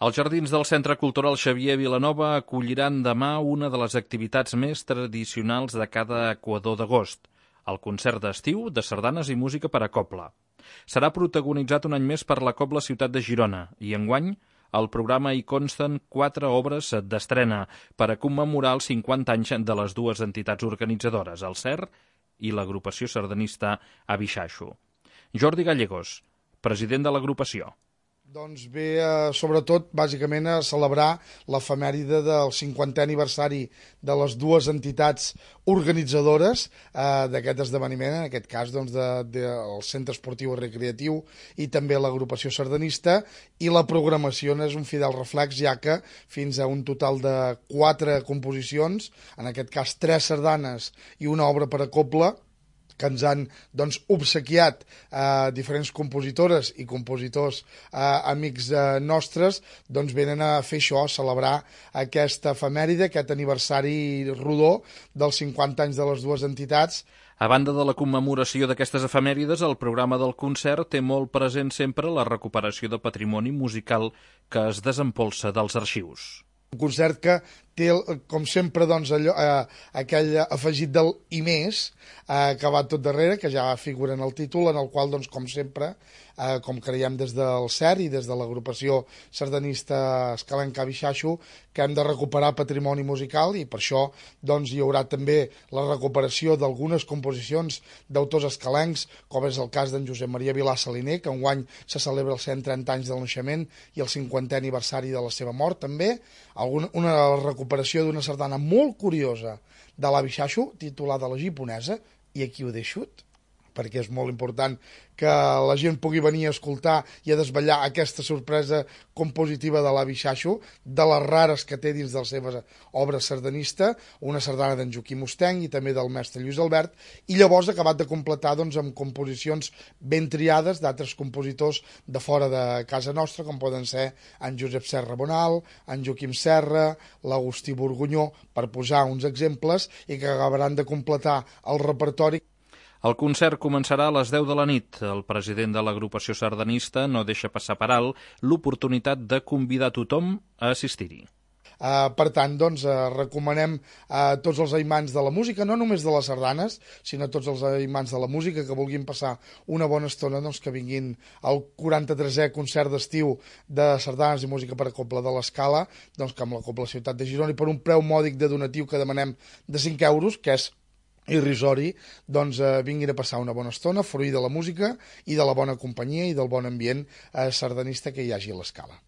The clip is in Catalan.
Els jardins del Centre Cultural Xavier Vilanova acolliran demà una de les activitats més tradicionals de cada equador d'agost, el concert d'estiu de sardanes i música per a cobla. Serà protagonitzat un any més per la Cobla Ciutat de Girona i enguany al programa hi consten 4 obres d'estrena per a commemorar els 50 anys de les dues entitats organitzadores, el CER i l'agrupació sardanista Abixaixo. Jordi Gallegos, president de l'agrupació. Doncs ve, sobretot, bàsicament, a celebrar l'efemèride del 50è aniversari de les dues entitats organitzadores d'aquest esdeveniment, en aquest cas del Centre Esportiu i Recreatiu i també l'agrupació sardanista, i la programació és un fidel reflex, ja que fins a un total de 4 composicions, en aquest cas 3 sardanes i una obra per a cobla, que ens han obsequiat diferents compositores i compositors amics nostres, venen a fer això, a celebrar aquesta efemèride, aquest aniversari rodó dels 50 anys de les dues entitats. A banda de la commemoració d'aquestes efemèrides, el programa del concert té molt present sempre la recuperació de patrimoni musical que es desempolsa dels arxius. Un concert que té, com sempre, aquell afegit del i més que va tot darrere, que ja figura en el títol, en el qual, com sempre, com creiem des del CER i des de l'agrupació sardanista escalenca Abixaixo, que hem de recuperar patrimoni musical i per això hi haurà també la recuperació d'algunes composicions d'autors escalencs, com és el cas d'en Josep Maria Vilà Saliner, que enguany se celebra els 130 anys del naixement i el 50è aniversari de la seva mort, també. Una recuperació d'una sardana molt curiosa de l'Abixaixo, titulada La Giponesa, i aquí ho deixo, perquè és molt important que la gent pugui venir a escoltar i a desvetllar aquesta sorpresa compositiva de l'Abixaixo, de les rares que té dins de la seva obra sardanista, una sardana d'en Joaquim Ostenc i també del mestre Lluís Albert, i llavors ha acabat de completar amb composicions ben triades d'altres compositors de fora de casa nostra, com poden ser en Josep Serra Bonal, en Joaquim Serra, l'Agustí Borgunyó, per posar uns exemples, i que acabaran de completar el repertori. El concert començarà a les 10 de la nit. El president de l'agrupació sardanista no deixa passar per alt l'oportunitat de convidar tothom a assistir-hi. Per tant, recomanem a tots els aimants de la música, no només de les sardanes, sinó a tots els aimants de la música que vulguin passar una bona estona, que vinguin al 43è concert d'estiu de sardanes i música per a cobla de l'Escala, que amb la Cobla Ciutat de Girona, i per un preu mòdic de donatiu que demanem de 5 euros, que és irrisori, vinguin a passar una bona estona, fruir de la música i de la bona companyia i del bon ambient sardanista que hi hagi a l'Escala.